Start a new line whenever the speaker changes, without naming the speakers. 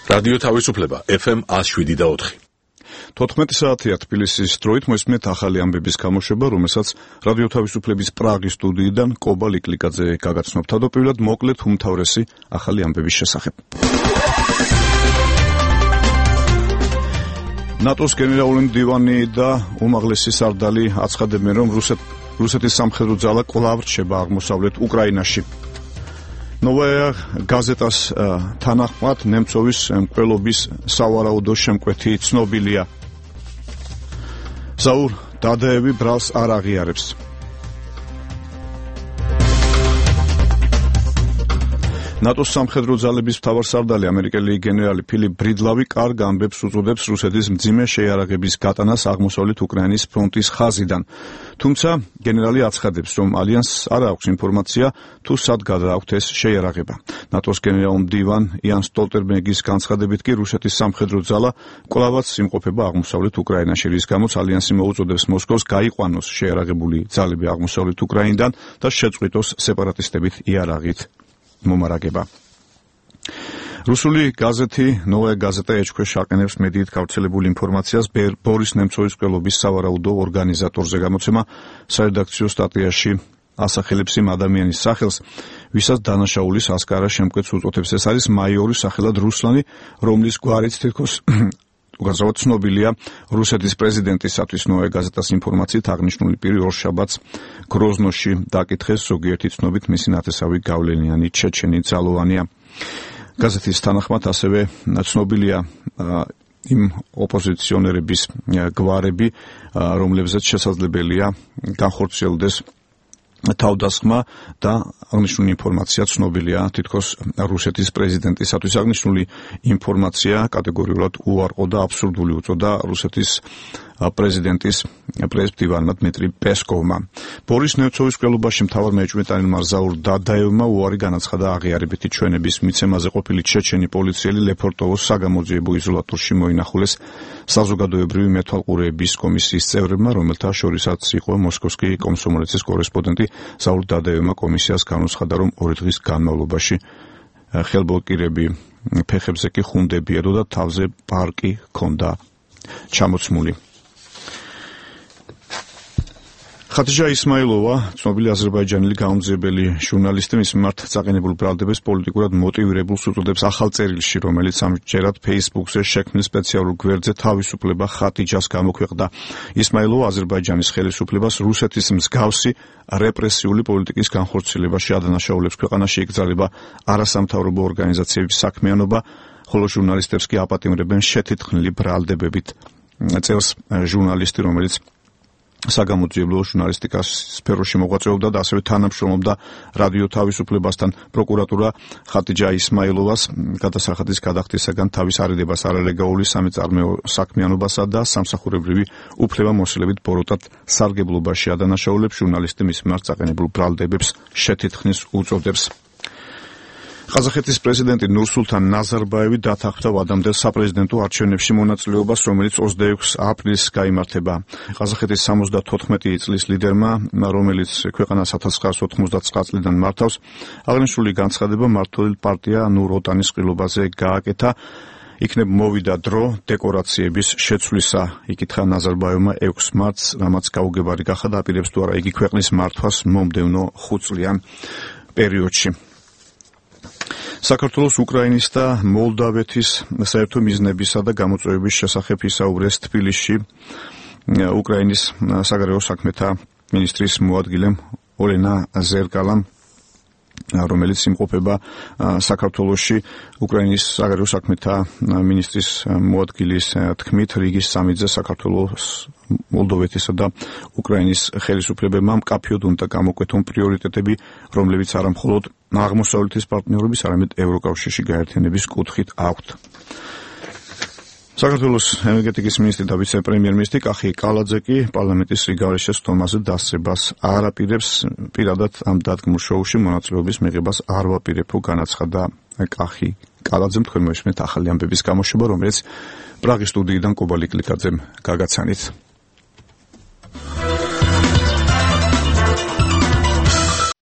რადიო თავისუფლება FM 107.4.
14 საათია თბილისის დროით მოსმენთ ახალი ამბების გამოშვება, რომელსაც რადიო თავისუფლების პრაღის სტუდიიდან კობა ლიკლიკაძე გაგაცნობ. თავდაპირველად მოკლედ უმთავრესი ახალი ამბების შესახებ. ნატოს გენერალური მდივანი და უმაღლესი სარდალი აცხადებენ, რომ რუსეთის სამხედრო ძალა კვლავ რჩება აღმოსავლეთ უკრაინაში. Novaya გაზეტას თანახმად ნემცოვის მკვლელობის სავარაუდო შემკვეთი ცნობილია. ზაურ დადაევი ბრალს არ აღიარებს. ნატოს სამხედრო ძალების მთავარსარდალი ამერიკელი გენერალი ფილიპ ბრიდლავი კარგ ამბებს უწოდებს რუსეთის მძიმე შეიარაღების გატანას აღმოსავლეთ უკრაინის ფრონტის ხაზიდან. თუმცა გენერალი აცხადებს, რომ ალიანსს არ აქვს ინფორმაცია თუ სად გადააქვთ ეს შეიარაღება. ნატოს გენერალურ მდივან იან სტოლტენბერგის განცხადებით კი რუსეთის სამხედრო ძალა კვლავაც იმყოფება აღმოსავლეთ უკრაინაში, რის გამოც ალიანსი მოუწოდებს მოსკოვს გაიყვანოს შეიარაღებული ძალები აღმოსავლეთ უკრაინიდან და შეწყვიტოს სეპარატისტებით იარაღით მომარაგება. რუსული გაზეთი ნოვაია გაზეტა ეჭქვეშ აყენებს მედიით გავრცელებულ ინფორმაციას ბორის ნემცოვის მკვლელობის სავარაუდო ორგანიზატორზე. გამოცემა სარედაქციო სტატიაში ასახელებს იმ ადამიანის სახელს, ვისაც დანაშაულის ასკარა შემკვეთს უწოდებს. ეს არის მაიორი სახელად რუსლანი, რომლის გვარიც თითქოს უგაზრდად ცნობილია რუსეთის პრეზიდენტისათვის. ნოვაია გაზეტას ინფორმაციით აღნიშნული პირი ორშაბათს გროზნოში დაკითხეს, ზოგიერთი ცნობით მისი ნათესავი გავლენიანი ჩეჩენი ძალოვანია. გაზეთის თანახმად ასევე ცნობილია იმ ოპოზიციონერების გვარები, რომლებზეც შესაძლებელია განხორციელდეს თავდასხმა და აღნიშნული ინფორმაცია ცნობილია თითქოს რუსეთის პრეზიდენტისათვის. აღნიშნული ინფორმაცია კატეგორიულად უარყო და აბსურდული უწოდა რუსეთის პრეზიდენტის პრეზიდენტმა დმიტრი პესკოვმა. ბორის ნემცოვის მკვლელობაში მთავარ მეჭვმეტანელმა ზაურ დადაევმა უარი განაცხადა აღიარებითი ჩვენების მიცემაზე ყოფილი ჩეჩენი პოლიციელი ლეფორტოვოს საგამოძიებო იზოლატორში მოინახულეს საზოგადოებრივი მეთვალყურეების კომისიის წევრებმა, რომელთა შორისაც იყო მოსკოვსკი კომსომოლეცის კორესპონდენტი. ზაურ დადაევმა კომისიას განუცხადა, რომ 2 დღის განმავლობაში ხელბლოკირები ფეხებზე კი ხუნდები ედო და თავზე პარკი ჰქონდა ჩამოცმული. ხატიჯა ისმაილოვა, ცნობილი აზერბაიჯანელი გამომძიებელი ჟურნალისტი, მის მიმართ წაყენებულ ბრალდებას პოლიტიკურად მოტივირებულს უწოდებს ახალ წერილში, რომელიც ამჯერად Facebook-ზე შექმნილ სპეციალურ გვერდზე თავისუფლება ხატიჯას გამოქვეყნდა. ისმაილოვა აზერბაიჯანის ხელისუფლებას რუსეთის მსგავსი რეპრესიული პოლიტიკის განხორციელებაში ადანაშაულებს. ქვეყანაში იკრძალება არასამთავრობო ორგანიზაციების საქმიანობა, ხოლო ჟურნალისტებს კი აპატიმრებენ შეთითხნილი ბრალდებებით. წერს ჟურნალისტი, რომელიც საგამოძიებლო ჟურნალისტიკის სფეროში მოღვაწეობდა და ასევე თანამშრომლობდა რადიო თავისუფლებასთან. პროკურატურა ხატიჯა ისმაილოვას გადასახადის გადახდისაგან თავის არიდებას არალეგალური სამეწარმეო საქმიანობასა და სამსახურებრივი უფლებამოსილებით ბოროტად სარგებლობაში ადანაშაულებს. ჟურნალისტი მის მიმართ წაყენებულ ბრალდებებს შეთითხნის უწოდებს. ყაზახეთის პრეზიდენტი ნურსულთან ნაზარბაევი დათანხმდა ვადამდელ საპრეზიდენტო არჩევნებში მონაწილეობას, რომელიც 26 აპრილს გაიმართება. ყაზახეთის 74 წლის ლიდერმა, რომელიც ქვეყანას 1999 წლიდან მართავს, აღნიშნული განცხადება მმართველი პარტია ნურ-ოტანის ყრილობაზე გააკეთა. იქნებ მოვიდა დრო დეკორაციების შეცვლისა, იკითხა ნაზარბაევმა 6 მარტს, რამაც გაუგებარი გახდა, აპირებს თუ არა იგი ქვეყნის მართვას მომდევნო 5 წლიან პერიოდში. საქართველოს, უკრაინის და მოლდავეთის საერთო მიზნებისა და გამოწვევების შესახებ ისაუბრეს თბილისში უკრაინის საგარეო საქმეთა მინისტრის მოადგილემ ოლენა ზერკალამ, რომელიც იმყოფება საქართველოში. უკრაინის საგარეო საქმეთა მინისტრის მოადგილის თქმით, რიგის სამიძე საქართველოს, მოლდოვეთისა და უკრაინის ხელისუფლებებმა მკაფიოდ უნდა გამოკვეთონ პრიორიტეტები, რომლებიც არა მხოლოდ აღმოსავლეთის პარტნიორობის, არამედ ევროკავშირში გაერთიანების კუთხით აქვთ. საქართველოს ენერგეტიკის მინისტრი და ვიცე-პრემიერ-მინისტრი კახი კალაძე კი პარლამენტის რიგარეშე სტომაზე დასწრებას არ აპირებს. პირადად ამ დადგმულ შოუში მონაწილეობის მიღებას არ ვაპირებო, განაცხადა კახი კალაძემ. თქვენ მოისმენთ ახალი ამბების გამოშვება, რომელიც პრაღის სტუდიიდან კობა ლიკლიკაძემ გაგაცანით.